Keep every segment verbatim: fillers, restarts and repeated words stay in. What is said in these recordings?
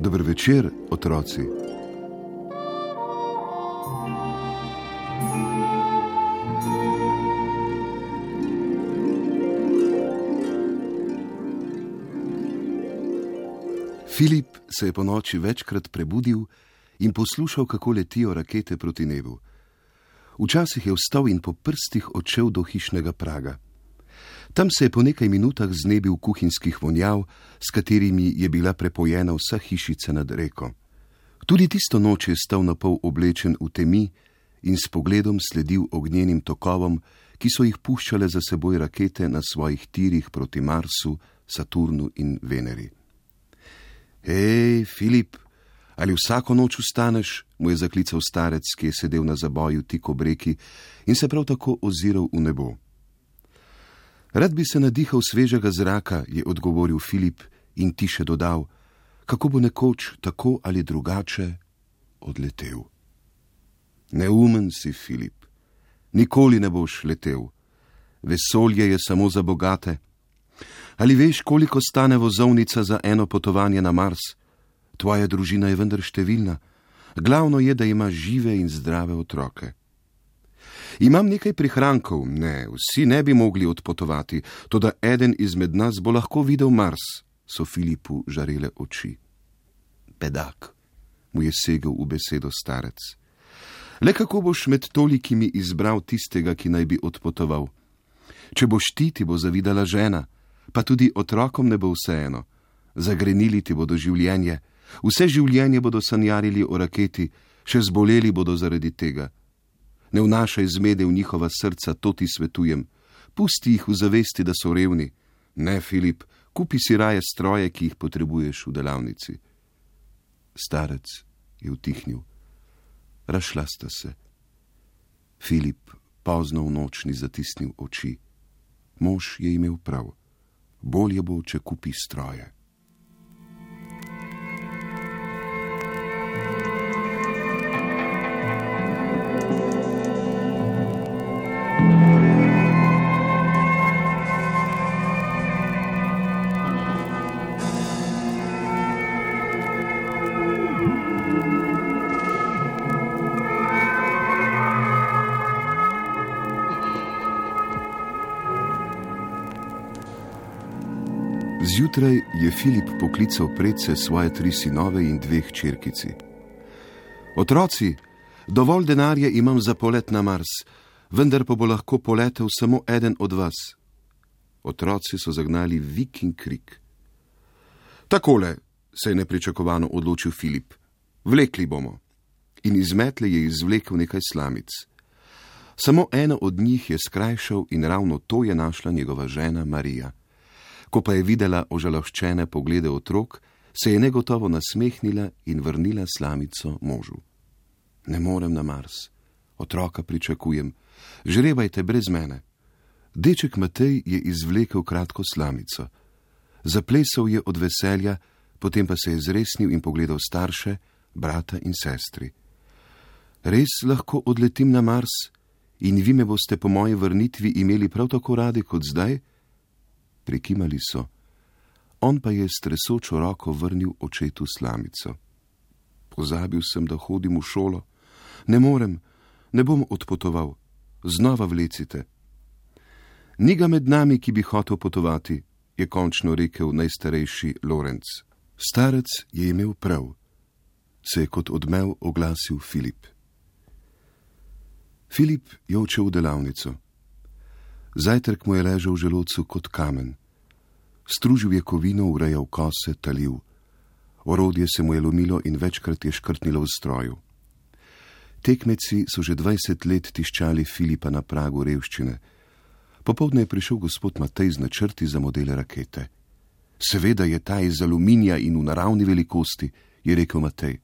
Dober večer, otroci. Filip se je po noči večkrat prebudil in poslušal, kako letijo rakete proti nebu. Včasih je vstal in po prstih odšel do hišnega praga. Tam se je po nekaj minutah znebil kuhinjskih vonjav, s katerimi je bila prepojena vsa hišica nad reko. Tudi tisto noč je stal napol oblečen v temi in s pogledom sledil ognjenim tokovom, ki so jih puščale za seboj rakete na svojih tirih proti Marsu, Saturnu in Veneri. Hej, Filip, ali vsako noč vstaneš, mu je zaklical starec, ki je sedel na zaboju tik ob reki in se prav tako oziral v nebo. Rad bi se nadihal svežega zraka, je odgovoril Filip in tiše dodal, kako bo nekoč tako ali drugače odletel. Neumen si, Filip, nikoli ne boš letel. Vesolje je samo za bogate. Ali veš, koliko stane vozovnica za eno potovanje na Mars? Tvoja družina je vendar številna. Glavno je, da imaš žive in zdrave otroke. Imam nekaj prihrankov, ne, vsi ne bi mogli odpotovati, toda eden izmed nas bo lahko videl Mars, so Filipu žarele oči. Bedak, mu je segel v besedo starec. Le kako boš med tolikimi izbral tistega, ki naj bi odpotoval? Če boš ti, ti bo zavidala žena, pa tudi otrokom ne bo vseeno. Zagrenili ti bodo življenje, vse življenje bodo sanjarili o raketi, še zboleli bodo zaradi tega. Ne vnašaj zmede v njihova srca, to ti svetujem. Pusti jih v zavesti, da so revni. Ne, Filip, kupi si raje stroje, ki jih potrebuješ v delavnici. Starec je utihnil. Razšla sta se. Filip pozno v noč ni zatisnil oči. Mož je imel prav. Bolje bo, če kupi stroje. Zjutraj je Filip poklical predse svoje tri sinove in dve hčerkici. Otroci, dovolj denarja imam za polet na Mars, vendar pa bo lahko poletel samo eden od vas. Otroci so zagnali vik in krik. Takole, se je nepričakovano odločil Filip. Vlekli bomo. In iz metle je izvlekel nekaj slamic. Samo eno od njih je skrajšal in ravno to je našla njegova žena Marija. Ko pa je videla ožaloščene poglede otrok, se je negotovo nasmehnila in vrnila slamico možu. Ne morem na Mars, otroka pričakujem, žrebajte brez mene. Deček Matej je izvlekel kratko slamico. Zaplesal je od veselja, potem pa se je zresnil in pogledal starše, brata in sestri. Res lahko odletim na Mars in vi me boste po moji vrnitvi imeli prav tako radi kot zdaj? Prikimali so. On pa je s tresočo roko vrnil očetu slamico. Pozabil sem, da hodim v šolo. Ne morem, ne bom odpotoval. Znova vlecite. Ni ga med nami, ki bi hotel potovati, je končno rekel najstarejši Lorenc. Starec je imel prav, se je kot odmev oglasil Filip. Filip je odšel v delavnico. Zajtrk mu je ležal v želodcu kot kamen. Stružil je kovino, urejal kose, talil. Orodje se mu je lomilo in večkrat je škrtnilo v stroju. Tekmeci so že dvajset let tiščali Filipa na pragu revščine. Popoldne je prišel gospod Matej z načrti za modele rakete. Seveda je ta iz aluminija in v naravni velikosti, je rekel Matej.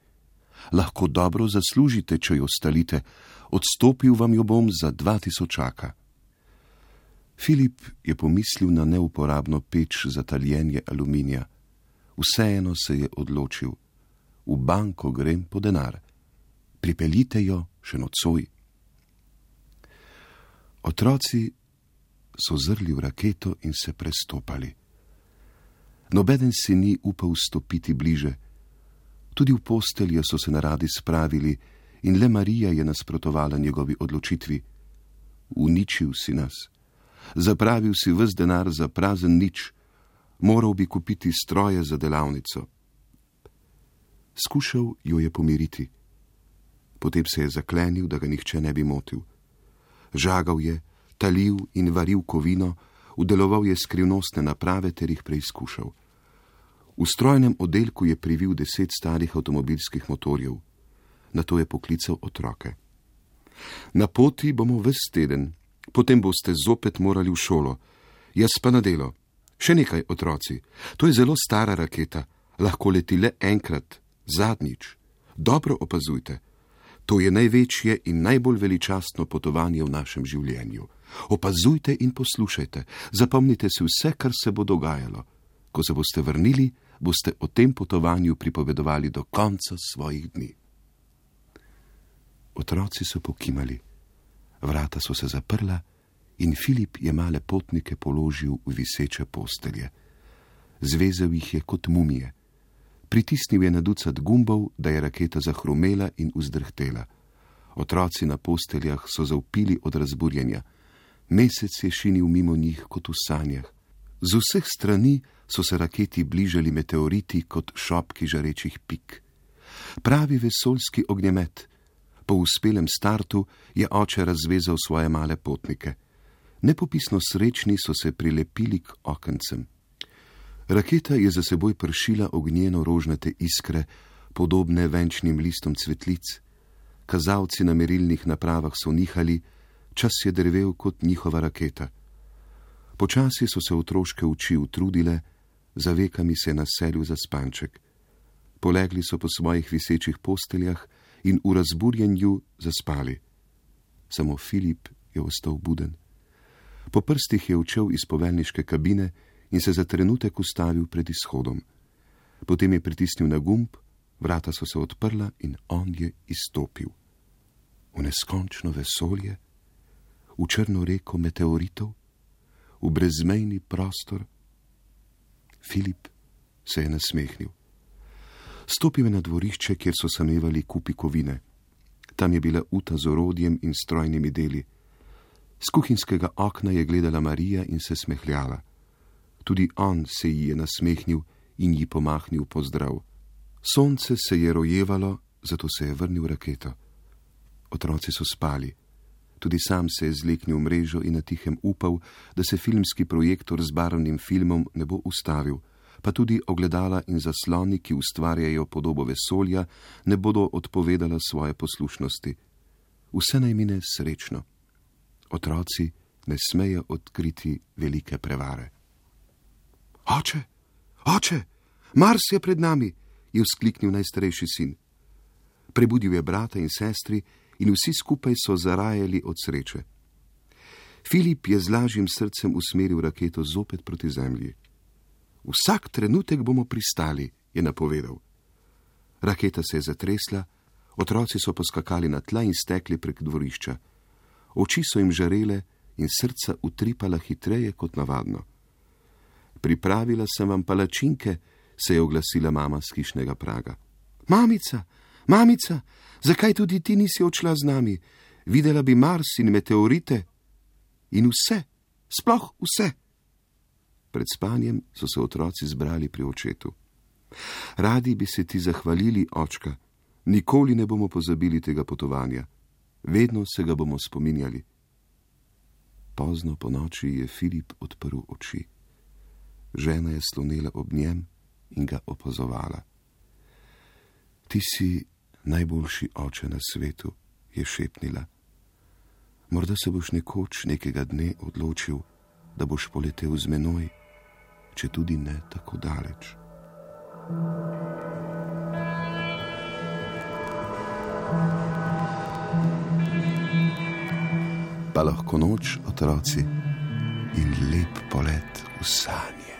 Lahko dobro zaslužite, če jo stalite, odstopil vam jo bom za dva tisočaka. Filip je pomislil na neuporabno peč za taljenje aluminija. Vseeno se je odločil. V banko grem po denar. Pripeljite jo še nocoj. Otroci so zrli v raketo in se prestopali. Nobeden si ni upal stopiti bliže. Tudi v postelje so se naradi spravili in le Marija je nasprotovala njegovi odločitvi. Uničil si nas. Zapravil si ves denar za prazen nič. Moral bi kupiti stroje za delavnico. Skušal jo je pomiriti. Potem se je zaklenil, da ga nihče ne bi motil. Žagal je, talil in varil kovino, vdeloval je skrivnostne naprave ter jih preizkušal. V strojnem oddelku je privil deset starih avtomobilskih motorjev. Nato je poklical otroke. Na poti bomo ves teden, potem boste zopet morali v šolo. Jaz pa na delo. Še nekaj, otroci. To je zelo stara raketa. Lahko leti le enkrat, zadnjič. Dobro opazujte. To je največje in najbolj veličastno potovanje v našem življenju. Opazujte in poslušajte. Zapomnite si vse, kar se bo dogajalo. Ko se boste vrnili, boste o tem potovanju pripovedovali do konca svojih dni. Otroci so pokimali. Vrata so se zaprla in Filip je male potnike položil v viseče postelje. Zvezel jih je kot mumije. Pritisnil je na ducat gumbov, da je raketa zahrumela in vzdrhtela. Otroci na posteljah so zavpili od razburjenja. Mesec je šinil mimo njih kot v sanjah. Z vseh strani so se raketi bližali meteoriti kot šopki žarečih pik. Pravi vesoljski ognjemet. Po uspelem startu je oče razvezal svoje male potnike. Nepopisno srečni so se prilepili k okencem. Raketa je za seboj pršila ognjeno rožnate iskre, podobne venčnim listom cvetlic. Kazalci na merilnih napravah so nihali, čas je drvel kot njihova raketa. Počasi so se otroške oči utrudile, za vekami se je naselil zaspanček. Polegli so po svojih visečih posteljah in v razburjenju zaspali. Samo Filip je ostal buden. Po prstih je učel iz poveljniške kabine in se za trenutek ustavil pred izhodom. Potem je pritisnil na gumb, vrata so se odprla in on je izstopil. V neskončno vesolje, v črno reko meteoritov, v brezmejni prostor. Filip se je nasmehnil. Stopil je na dvorišče, kjer so samevali kupi kovine. Tam je bila uta z orodjem in strojnimi deli. Z kuhinjskega okna je gledala Marija in se smehljala. Tudi on se ji je nasmehnil in ji pomahnil pozdrav. Sonce se je rojevalo, zato se je vrnil raketo. Otroci so spali. Tudi sam se je zleknil v mrežo in na tihem upal, da se filmski projektor z barvnim filmom ne bo ustavil, pa tudi ogledala in zasloni, ki ustvarjajo podobo vesolja, ne bodo odpovedala svoje poslušnosti. Vse naj mine srečno. Otroci ne smejo odkriti velike prevare. Oče, oče, Mars je pred nami, je vzkliknil najstarejši sin. Prebudil je brata in sestri in vsi skupaj so zarajali od sreče. Filip je z lažjim srcem usmeril raketo zopet proti zemlji. Vsak trenutek bomo pristali, je napovedal. Raketa se je zatresla, otroci so poskakali na tla in stekli prek dvorišča. Oči so jim žarele in srca utripala hitreje kot navadno. Pripravila sem vam palačinke, se je oglasila mama z hišnega praga. Mamica, mamica, zakaj tudi ti nisi odšla z nami? Videla bi Mars in meteorite. In vse, sploh vse. Pred spanjem so se otroci zbrali pri očetu. Radi bi se ti zahvalili, očka. Nikoli ne bomo pozabili tega potovanja. Vedno se ga bomo spominjali. Pozno po noči je Filip odprl oči. Žena je slonela ob njem in ga opazovala. Ti si najboljši oče na svetu, je šepnila. Morda se boš nekoč nekega dne odločil, da boš poletel z menoj, če tudi ne tako daleč. pa lahko noč, otroci, in lep polet v sanje.